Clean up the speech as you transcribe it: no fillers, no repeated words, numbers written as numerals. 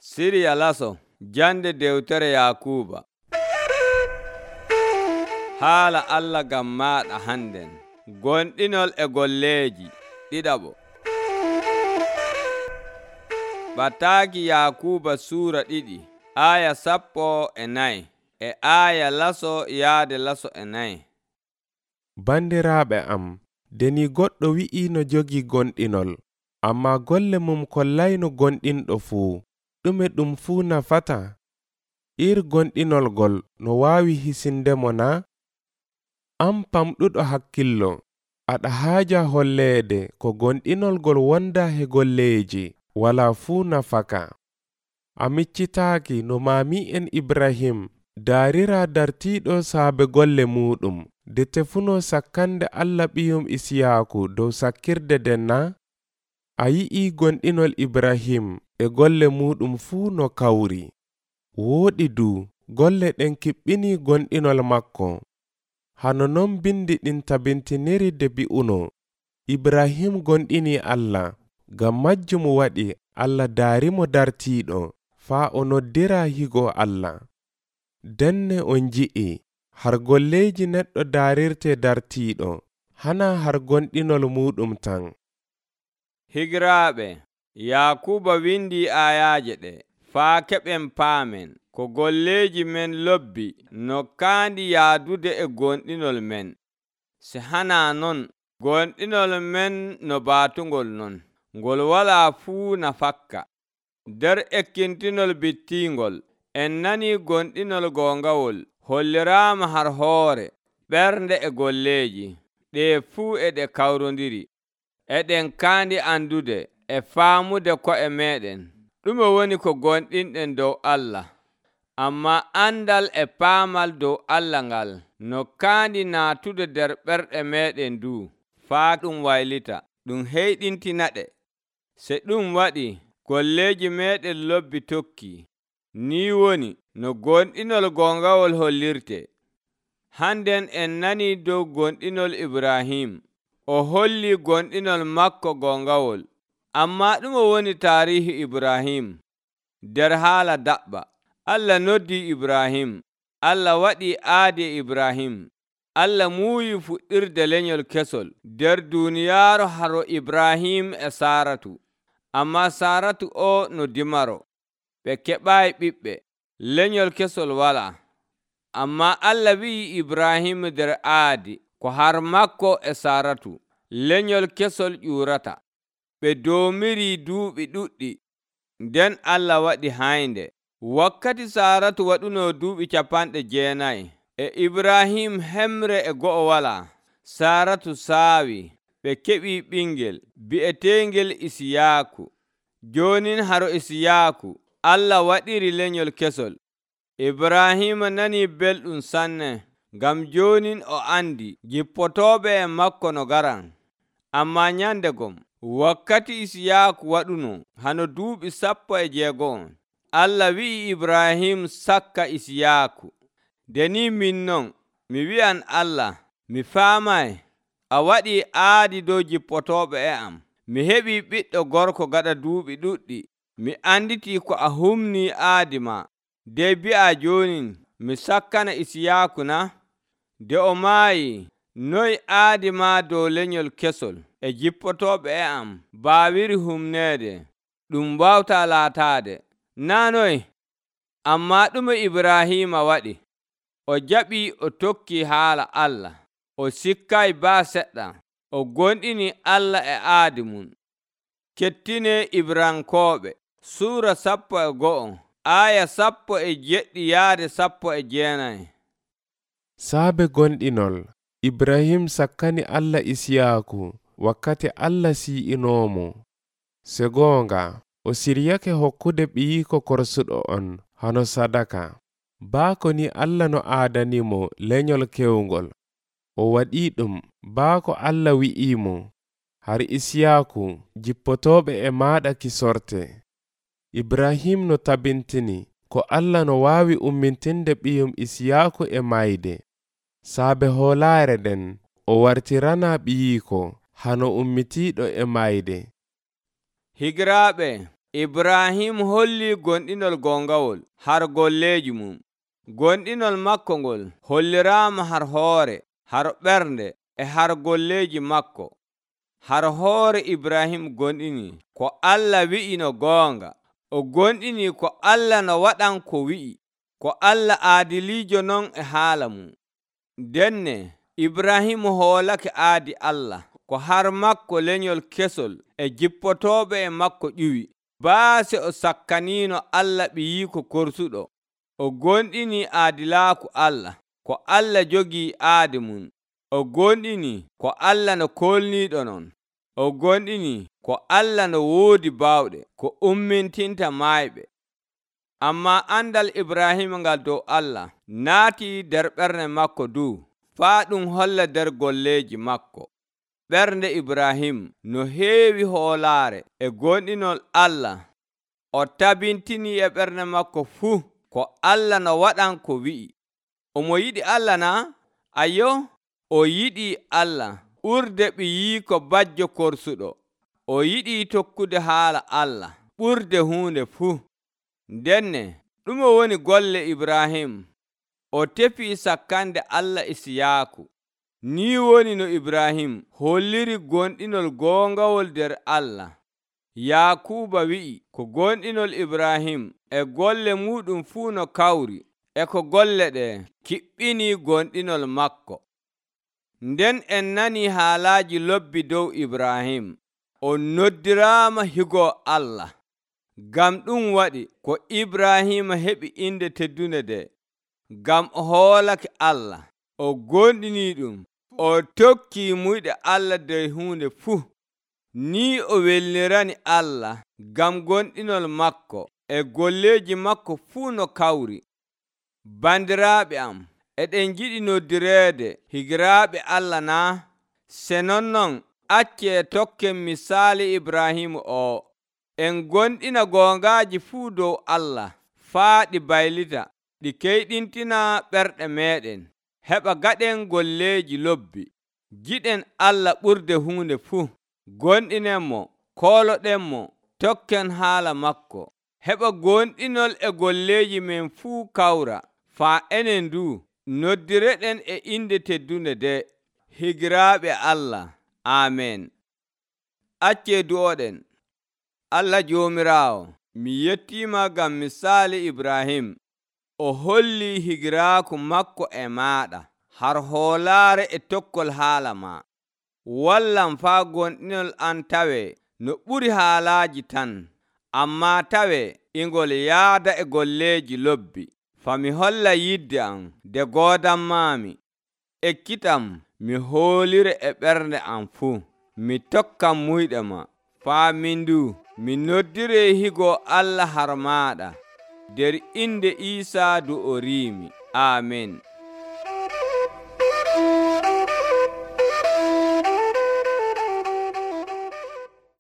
Siriya laso jande dewtere Yakuba. Haala Allah gam maɗa handen. Gonɗinol e golleeji ɗiɗaɓo. Bataaki Yakuba Suura 2 aya 14 e aya laso yaade laso 4. Bandiraaɓe am, deni goɗɗo wi'i no jogi gonɗinol, amma golle mum kollayno gonɗinɗo fuu, ɗume ɗum fuu nafata? Gonɗinol gol no waawi hisindemo na? Am pamɗuɗo hakkillo, aɗa haaja holleede ko gonɗinol gol wonda he golleeji wala fuu nafaka. A miccitaaki no maami'en Ibrahim daarira dartiiɗo saabe golle muɗum de tefuno sakkande Allah ɓiyum Isiyaaku dow sakkirde den na? A yi'i gonɗinol Ibrahim e golle muɗum fuu no kawri. Wooɗi du golle ɗen kiɓɓini gonɗinol makko. Hano non bindi ɗin tabintiniri de bi'uno, Ibrahim gonɗini Allah, ngam majjum waɗi Allah daarimo dartiiɗo faa o noddira higo Allah. Denne on ji'i har golleeji neɗɗo daarirte dartiiɗo, hana har gonɗinol muɗum tan. Higiraaɓe, Yakuba windi ayaaje ɗe faa keɓen paamen ko golleeji men lobbi no kaandi yaadude e gonɗinol men. Se hana non, gonɗinol men no baatungol non, ngol wala fuu nafakka. Der ekkintinol bittingol, en nani gonɗinol gongawol holliraama har hoore, ɓernde e golleeji, ɗe fuu e ɗe kawrondiri. Eɗen kaandi andude e faamude ko'e meɗen ɗume woni ko gonɗinɗen dow Allah. Amma andal e paamal dow Allah ngal no kaandi naatude nder ɓerɗe meɗen du, faa ɗum waylita, ɗum heyɗintinaɗe. Se ɗum waɗi, golleeji meɗen lobbi tokki. Ni woni no gonɗinol gongawol hollirte. Handen en nani dow gonɗinol Ibrahim. O holli gonɗinol makko gongawol. Amma ɗume woni taarihi Ibrahim? Der haala daɓɓa, Allah noddi Ibrahim. Allah waɗi aadi Ibrahim. Allah muuyi fuɗɗirde lenyol kesol der duniyaaru haro Ibrahim e Saratu. Amma Saratu o no dimaro. Ɓe keɓaayi ɓiɓɓe. Lenyol kesol wala. Amma Allah wi'i Ibrahim der aadi ko har makko e Saratu, lenyol kesol ƴurata. Ɓe doomiri duuɓi ɗuɗɗi. Nden Allah waɗi haynde. Wakkati Saratu waɗuno duuɓi 90 e Ibrahim hemre e go'o wala. Saratu saawi. Ɓe keɓi ɓingel bi'etengel Isiyaaku. Jonin haro Isiyaaku Allah waɗiri lenyol kesol. Ibrahim nani belɗum sanne, ngam jonin o andi jippotoɓe e makko no garan. Amma nyandegom, wakkati Isiyaaku waɗuno hano duuɓi 16, Allah wi'i Ibrahim sakka Isiyaaku. Deni min non, mi wi'an Allah, mi faamay, a waɗi aadi dow jippotoɓe e am. Mi heɓi ɓiɗɗo gorko gaɗa duuɓi ɗuɗɗi. Mi anditi ko a humni aadi ma. De bi'a jonin mi sakkana Isiyaaku na? De o maayi, noy aadi ma dow lenyol kesol e jippotoɓe e am baawiri humneede, ɗum wawta laataade, na noy? Amma ɗume Ibrahima waɗi? O jaɓi o tokki haala Allah. O sikkay baa seɗɗa. O gonɗini Allah e aadi mum. Kettine Ibrankooɓe Suura 11 aya 17 yaade 19. Saabe gonɗinol, Ibrahim sakkani Allah Isiyaaku wakkati Allah si'inoomo. Se goonga, o siryake hokkude ɓiyiko korsuɗo on hano sadaka. Baako ni Allah no aadanimo lenyol kewngol. O waɗi ɗum baako Allah wi'imo, har Isiyaaku jippotoɓe e maɗa kisorte. Ibrahim no tabintini ko Allah no waawi ummintinde ɓiyum Isiyaaku e mayde. Saabe hoolaare den, o wartirana ɓiyiko hano ummitiiɗo e mayde. Higiraaɓe, Ibrahim holli gonɗinol gongawol har golleji mum. Gonɗinol makko ngol holliraama har hoore, har ɓernde e har golleji makko. Har hoore Ibrahim gonɗini ko Allah wi'i no goonga. O gonɗini ko Allah no waɗan ko wi'i, ko Allah aadiliijo non e haala mum. Denne Ibrahim hoolake aadi Allah, ko har makko lenyol kesol e jippotooɓe e makko ƴuwi. Baase o sakkaniino Allah ɓiyiiko korsuɗo. O gonɗini aadilaaku Allah, ko Allah jogii aadi mum. O gonɗini ko Allah no kolniiɗo non. O gonɗini ko Allah no woodi baawɗe, ko ummintinta maayɓe. Ammaa andal Ibrahim ngal dow Allah naatii nder ɓernde makko du, faa ɗum holla nder golleji makko. Ɓernde Ibrahim no heewi hoolaare e gonɗinol Allah. O tabintini e ɓernde makko fuu ko Allah no waɗan ko wi'i. Omo yiɗi Allah naa? Ayo, o yiɗi Allah ɓurde ɓiyiiko bajjo korsuɗo. O yiɗi tokkude haala Allah ɓurde huunde fuu. Denne ɗume woni golle Ibrahim? O tefi sakkande Allah Isiyaaku. Ni woni no Ibrahim holliri gonɗinol goongawol nder Allah. Yakuba wi'i ko gonɗinol Ibrahim e golle muɗum fuu no kawri, e ko golle ɗe kiɓɓini gonɗinol makko. Nden en nani haalaaji lobbi dow Ibrahim. O noddiraama higo Allah. Ngam ɗum waɗi ko Ibrahim heɓi inde teddunde nde, ngam o hoolake Allah, o gonɗini ɗum, o tokki muyɗe Allah nder huunde fuu. Ni o welnirani Allah ngam gonɗinol makko e golleji makko fuu no kawri. Bandiraaɓe am, eɗen jiɗi noddireede higiraaɓe Allah naa? Se nonnon accee tokken misaali Ibrahim o. En gonɗina goongaaji fuu dow Allah, faa ɗi baylita, ɗi keyɗintina ɓerɗe meɗen. Heɓa gaɗen golleji lobbi. Giɗen Allah ɓurde huunde fuu. Gonɗinenmo, kooloɗenmo, tokken haala makko. Heɓa gonɗinol e golleji men fuu kawra, faa enen du noddireɗen e inde teddunde nde. Higiraaɓe Allah. Amen. Accee du'oɗen. Allah Joomiraawo, mi yettiima ngam misaali Ibrahim. O holli higiraaku makko e maaɗa har hoolaare e tokkol haala ma. Wallam faa gonɗinol an tawe no ɓuri haalaaji tan, ammaa tawe ingol yaada e golleji lobbi. Fami holla yidde am nde goodammaami. Ekkitam mi hoolire e ɓernde am fuu. Mi tokkam muyɗe ma. Faa min du mi noddire higo Allah har maaɗa. Der inde Iisaa du o riimi. Amen.